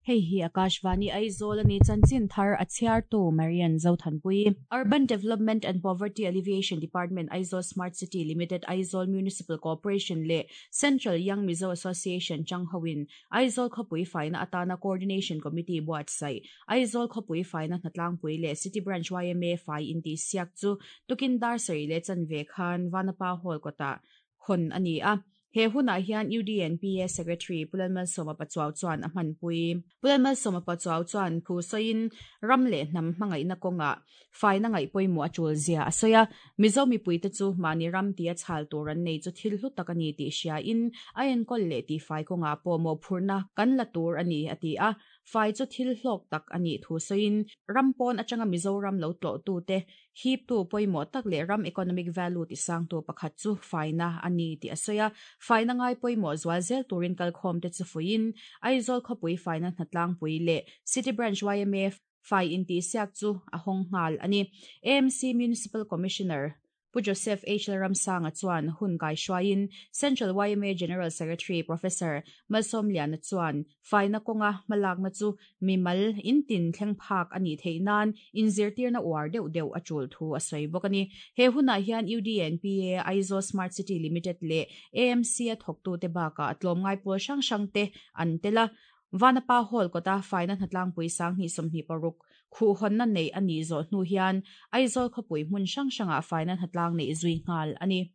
Hei hi Akashvani Aizawl a ni chanchin thar a chhiartu Marian Zothanpui. Urban Development and Poverty Alleviation Department Aizawl Smart City Limited Aizawl Municipal Corporation leh Central Young Mizo Association changhoin Aizawl khawpui faina atana Coordination Committee buatsaih Aizawl khawpui faina hnatlangpui leh City Branch yma fai intihsiak chu tukin dar sarih leh chanve khan Vanapa Hall kawtah hawn a ni a. He hunah hian UDNPA Secretary Pu Lalmalsawma Pachuau chuan a hmanpui. Pu Lalmalsawma Pachuau chuan thu sawiin ram leh hnam hmangaihna kawngah faina ngaih pawimawh a tul zia a sawi a. Mizo mipuite chu mahni ram tia chhal tur an nei chu thil hlu tak a ni tih hriain a enkawl leh tihfai kawngah pawh mawhphurhna kan la tur a ni, a ti a. Fai chu thil hlawk tak a nih thu sawiin ram pawn atanga Mizoram lo tlawhtute hiptu pawimawh tak leh ram economic value tisangtu pakhat chu faina a ni tih a sawi a. Faina ngai pawimawh zual zel turin kalkhawmte chu fuihin Aizawl khawpui faina hnatlangpui leh City Branch yma fai intihsiak chu a hawng nghal a ni. AMC Municipal Commissioner Pu Joseph H. Lalramsanga chuan hun kaihruaiin Central yma General Secretary Professor Malsawmliana chuan faina kawnga hmalakna chu mimal intin thleng phak a nih theih nan inzirtirna uar deuh deuh a tul thu a sawi bawk a ni. He hunah hian UDNPA, Aizawl Smart City Limited leh AMC-a thawktute bakah tlawmngai pawl hrang hrangte an tel a. Vanapa Hall kawta faina hnatlangpui 2026 khuhhawnna neih a nih zawh hnu hian Aizawl khawpui hmun hrang hrangah faina hnatlang neih zui nghal a ni.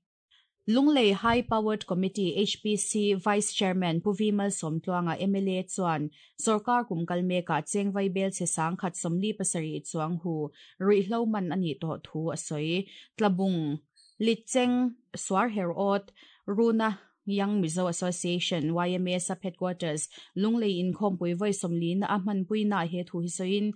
Lunglei High Powered Committee, HPC, Vice Chairman Pu V Malsawmtluanga mla chuan sawrkar kum kal mekah chengvai bel chhe 1047 chuang hu ruihhlo man a nih tawh thu a sawi. Tlabung, Litcheng, Suarherawt, Runa, Young Mizo Association, yma, Sub Headquarters, Lunglei inkhawmpui vawi sawmlina a hmanpuinaah he thu hi sawiin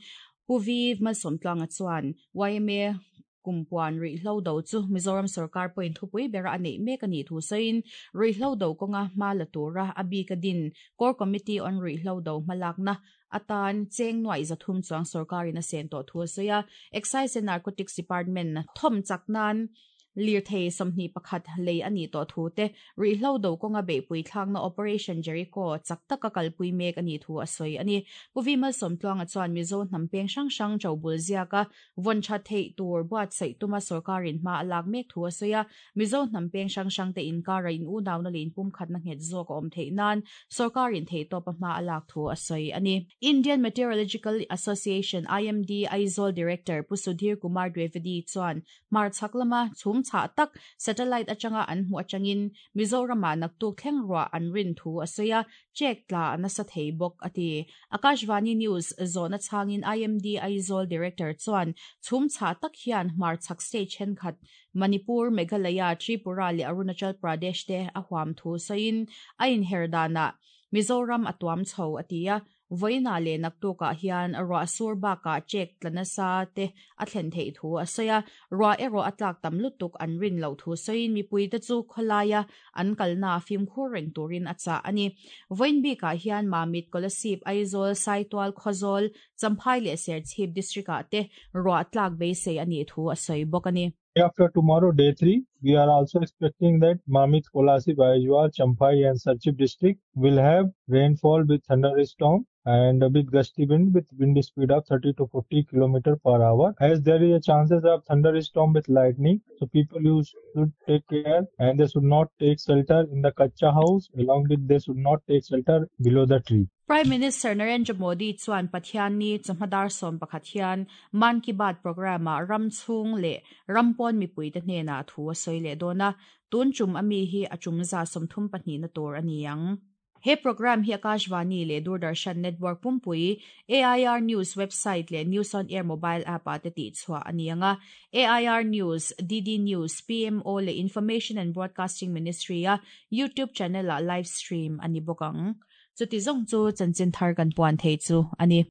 Pu Vi Malsawmtluanga chuan yma kumpuan ruihhlo do chu Mizoram sorkar pawhin thupui bera a neih mek a nih thu sawiin ruihhlo do kawnga hma la tura a bika din Core Committee on Ruihhlo Do hmalakna atan cheng nuaih 300 chuang sorkarin a sen tawh thu a sawi a. Excise and Narcotics Department thawm chak nan Lirthei 21 lei a nih tawh thu te, ruihhlo do kawnga beihpui thlakna Operation Jericho chak taka kalpui mek a nih thu a sawi a ni. Pu Vi Malsawmtluanga chuan Mizo hnam peng hrang hrang ṭobul ziaka vawn ṭha theih tur buatsaih tuma sorkarin hma a lak mek thu a sawi a. Mizo hnam peng hrang hrangte inkara in unauna leh inpumkhatna nghet zawk a awm theih nan sorkarin theihtawpa hma a lak thu a sawi a ni. Indian Meteorological Association, IMD, Aizawl Director Pu Sudhir Kumar Dwivedi chuan Hmarchhak lama chhum chhah tak satellite atanga an hmuh atangin Mizoramah naktuk thleng ruah an rin thu a sawi a, check tla a nasa thei bawk a ti. Akashvani News zawhna chhangin IMD Aizawl Director chuan chhum chhah tak hian hmarchhak state thenkhat Manipur, Meghalaya, Tripura leh Arunachal Pradesh te a huam thu sawiin a inher danah Mizoram a tuam chho a ti a, Vawiinah leh naktukah hian ruah sur bakah check tla nasa te a thlen theih thu a sawi a, ruah erawh a tlak tam lutuk an rin loh thu sawiin mipuite chu khawlaia an kalna fimkhur reng turin a chah a ni. Vawiin bikah hian Mamit, Kolasib, Aizawl, Saitual, Khawzawl, Champhai leh Serchhip district-ah te ruah tlak beisei a nih thu a sawi bawk a ni. Day after tomorrow, day 3, we are also expecting that Mamit, Kolasib, Aizawl, Champhai and Serchhip district will have rainfall with thunderstorm and with gusty wind with wind speed of 30 to 40 km per hour. As there is a chances of thunderstorm with lightning, so people you should take care and they should not take shelter in the kacha house along with they should not take shelter below the tree. Prime Minister Narendra Modi chuan Pathianni chawhma dar 11 hian Mann Ki Baat programme-ah ram chhung leh ram pawn mipuite hnenah thu a sawi leh dawn a, tun tum a mi hi a tum za 32 na tur a ni ang. He programme hi Akashvani leh Doordarshan network pumpui, AIR News website leh News on Air mobile app-ah te tihchhuah a ni ang a. AIR News, DD News, PMO leh Information and Broadcasting Ministry-a YouTube channel-ah live stream a ni bawk ang. Chuti zawng chu chanchin thar kan puan thei chu a ni.